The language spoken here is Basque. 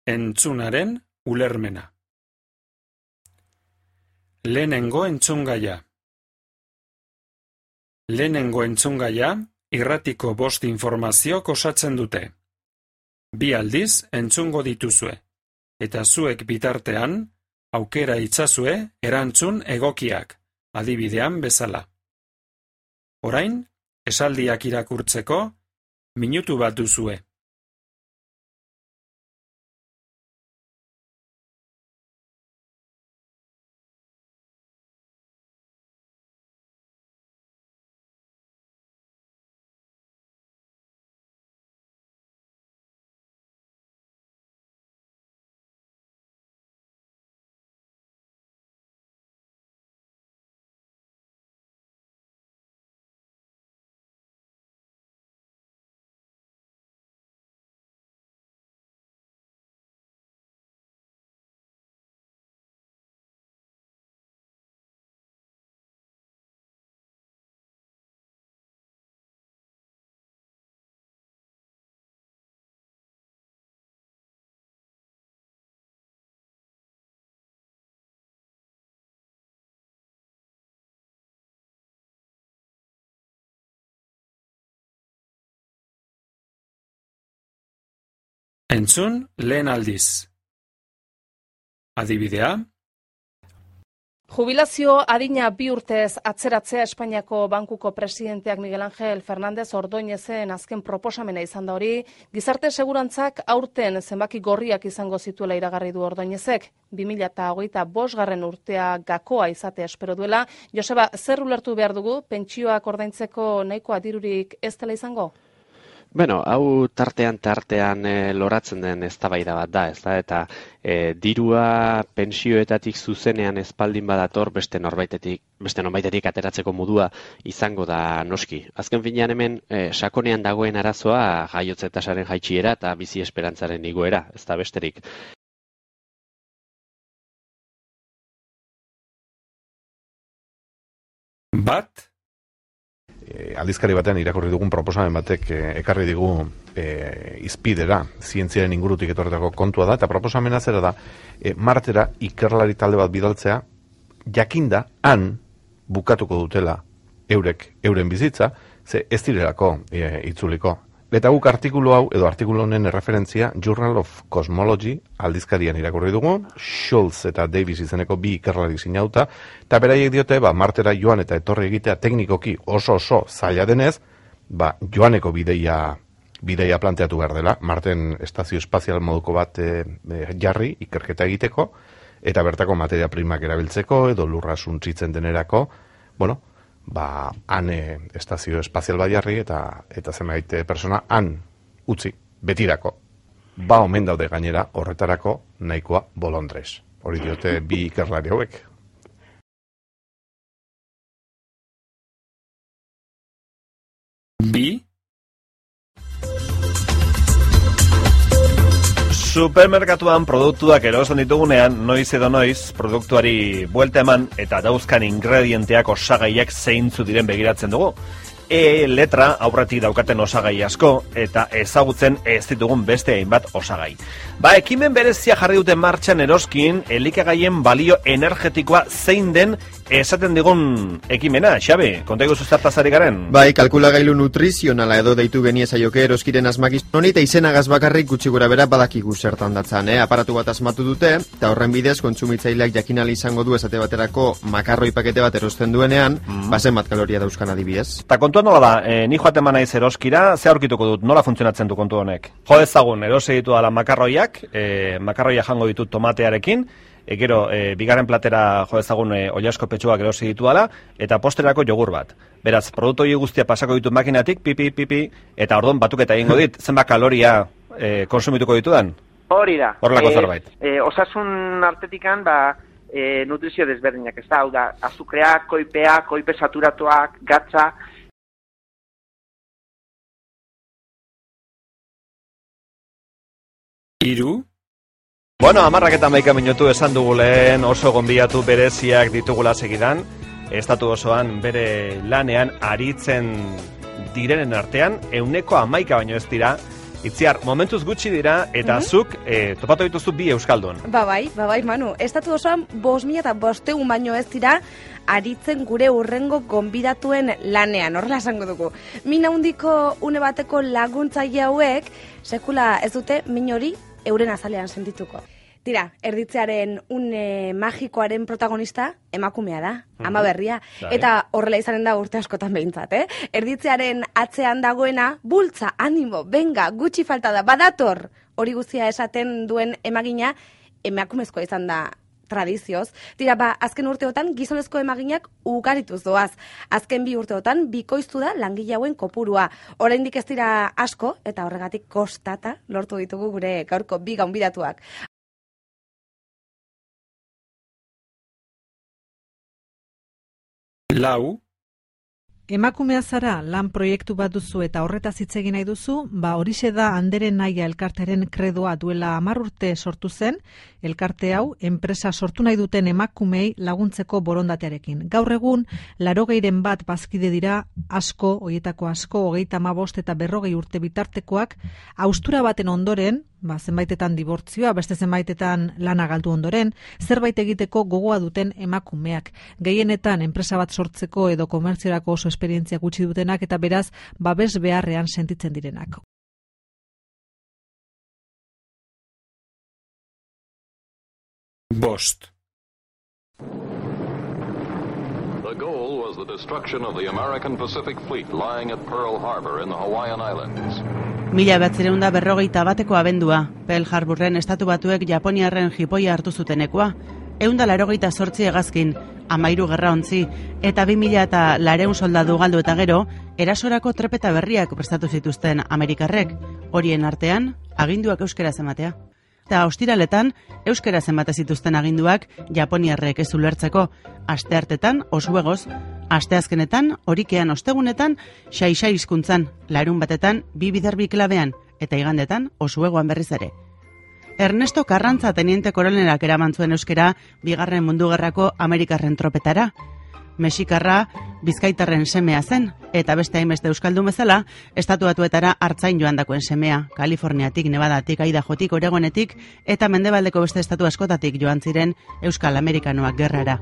Entzunaren ulermena. Lehenengo entzungaia. Lehenengo entzungaia irratiko 5 informaziok osatzen dute. 2 aldiz entzungo dituzue, eta zuek bitartean aukera itzazue erantzun egokiak, adibidean bezala. Orain, esaldiak irakurtzeko, minutu bat duzue. Entzun lehen aldiz. Adibidea. Jubilazio adina 2 urtez atzeratzea Espainiako Bankuko presidenteak Miguel Ángel Fernández Ordóñezen azken proposamena izan da hori. Gizarte segurantzak aurten zenbaki gorriak izango zituela iragarri du Ordóñezek. 2025 urtea gakoa izatea espero duela. Joseba, zer ulertu behar dugu? Pentsioak ordaintzeko nahikoa dirurik ez dela izango? Bueno, hau tartean loratzen den eztabaida bat da, ezta? Eta dirua pentsioetatik zuzenean espaldin badator beste norbaitetik ateratzeko modua izango da noski. Azken finean hemen sakonean dagoen arazoa jaiotze tasaren jaitsiera eta bizi esperantzaren igoera, ez da besterik. Bat? Aldizkari batean irakurri dugun proposamen batek ekarri digu izpidera, zientziaren ingurutik etorretako kontua da, eta proposamena zera da, Martera ikerlari talde bat bidaltzea, jakinda han bukatuko dutela euren bizitza, ze ez direlako itzuliko. Eta guk artikulu hau, edo artikulu honen referentzia, Journal of Cosmology aldizkarian irakurri dugu, Schultz eta Davis izeneko 2 ikerlari sinauta, eta beraiek diote, Martera joan eta etorri egitea teknikoki oso zaila denez, joaneko bideia planteatu behar dela, Marten estazio espazial moduko bat jarri, ikerketa egiteko, eta bertako materia primak erabiltzeko, edo lurra suntsitzen denerako, han estazio espazial bat jarri eta zenbait persona han utzi, betirako. Omen daude gainera horretarako nahikoa bolondrez. Hori diote 2 ikerlari hauek. Bi? Supermerkatuan produktuak erosten ditugunean, noiz edo noiz, produktuari buelta eman eta dauzkan ingredienteak osagaiak zeintzu diren begiratzen dugu. Letra aurretik daukaten osagai asko eta ezagutzen ez ditugun beste hainbat osagai. Ekimen berezia jarri duten martxan eroskin, elikagaien balio energetikoa zein den esaten digun ekimena, Xabi, konta iguzu zertaz ari garen? Kalkulagailu nutrizionala edo deitu geniezaiok eroskiren asmakizun honi, eta izenagaz bakarrik gutxi gora bera badakigu zertan datzan. Aparatu bat asmatu dute, eta horren bidez kontsumitzaileak jakinali izango du esate baterako makarroi pakete bat erosten duenean, bazen bat kaloria dauzkan adibidez. Eta kontua nola da, ni joaten manaiz eroskira, ze aurkituko dut, nola funtzionatzen du kontu honek? Jo ezagun, erosi ditu dala makarroiak, makarroia jango ditut tomatearekin, gero, bigarren platera jo ezagun oilasko petxuak erosi ditu dala, eta posterako jogur bat. Beraz, produktu hori guztia pasako ditut makinatik, pipi, eta ordon batuketa egingo dit, zenbat kaloria konsumituko ditudan? Hori da. Horrelako zerbait. Osasun artetikan, nutrizio desberdinak, ez da, hau da, azukreak, koipe saturatuak, gatza. Hiru? Bueno, 11 minutu esan dugu lehen, oso gonbidatu bereziak ditugula segidan, estatu osoan bere lanean aritzen direnen artean, 11 baino ez dira, Itziar, momentuz gutxi dira, eta zuk topatu dituzu bi euskaldun. Bai, Manu. Estatu osoan 5.500 baino ez dira aritzen gure urrengo gonbidatuen lanean, horrela esango dugu. Min handiko une bateko laguntzaile hauek, sekula ez dute min hori euren azalean sentituko. Tira, erditzearen une magikoaren protagonista emakumea da, ama berria. Eta horrela izanen da urte askotan behintzat, Erditzearen atzean dagoena, bultza, animo, benga, gutxi falta da, badator! Hori guztia esaten duen emagina, emakumezkoa izan da tradizioz. Tira, azken urteotan gizonezko emaginak ugarituz doaz. Azken 2 urteotan bikoiztu da langile hauen kopurua. Oraindik ez dira asko, eta horregatik kostata lortu ditugu gure gaurko bi gonbidatuak. Lau. Emakumea zara lan proiektu bat duzu eta horretaz hitz egin nahi duzu, horixe da Anderen Naia elkartearen kredoa duela 10 urte sortu zen, elkarte hau enpresa sortu nahi duten emakumei laguntzeko borondatearekin. Gaur egun 80 bat bazkide dira, asko, hoietako asko, 35 eta 40 urte bitartekoak, haustura baten ondoren, zenbaitetan dibortzioa, beste zenbaitetan lana galdu ondoren, zerbait egiteko gogoa duten emakumeak. Gehienetan enpresa bat sortzeko edo komertziorako oso esperientzia gutxi dutenak eta beraz babes beharrean sentitzen direnak. Bost. The goal was the destruction of the American Pacific Fleet lying at Pearl Harbor in the Hawaiian Islands. 1941 abendua, Pearl Harborren estatu batuek Japoniarren jipoia hartu zutenekoa, 188 hegazkin, 13 gerraontzi, eta 2000 soldadu galdu eta gero, erasorako trepeta berriak prestatu zituzten Amerikarrek, horien artean, aginduak euskaraz ematea. Eta ostiraletan, euskaraz emate zituzten aginduak Japoniarrek ez ulertzeko, asteartetan, osuegoz, asteazkenetan, horikean ostegunetan, xai-xai hizkuntzan, larun batetan, 2 biderbi klabean, eta igandetan, osuegoan berriz ere. Ernesto Karrantza teniente koronerak eraman zuen euskera Bigarren Mundu Gerrako Amerikarren tropetara. Mexikarra Bizkaitarren semea zen, eta beste hainbeste euskaldun bezala, estatu batuetara hartzain joandakoen semea, Kaliforniatik, Nevadatik, Idahotik, Oregonetik, eta mendebaldeko beste estatu askotatik joan ziren Euskal Amerikanoak gerrara.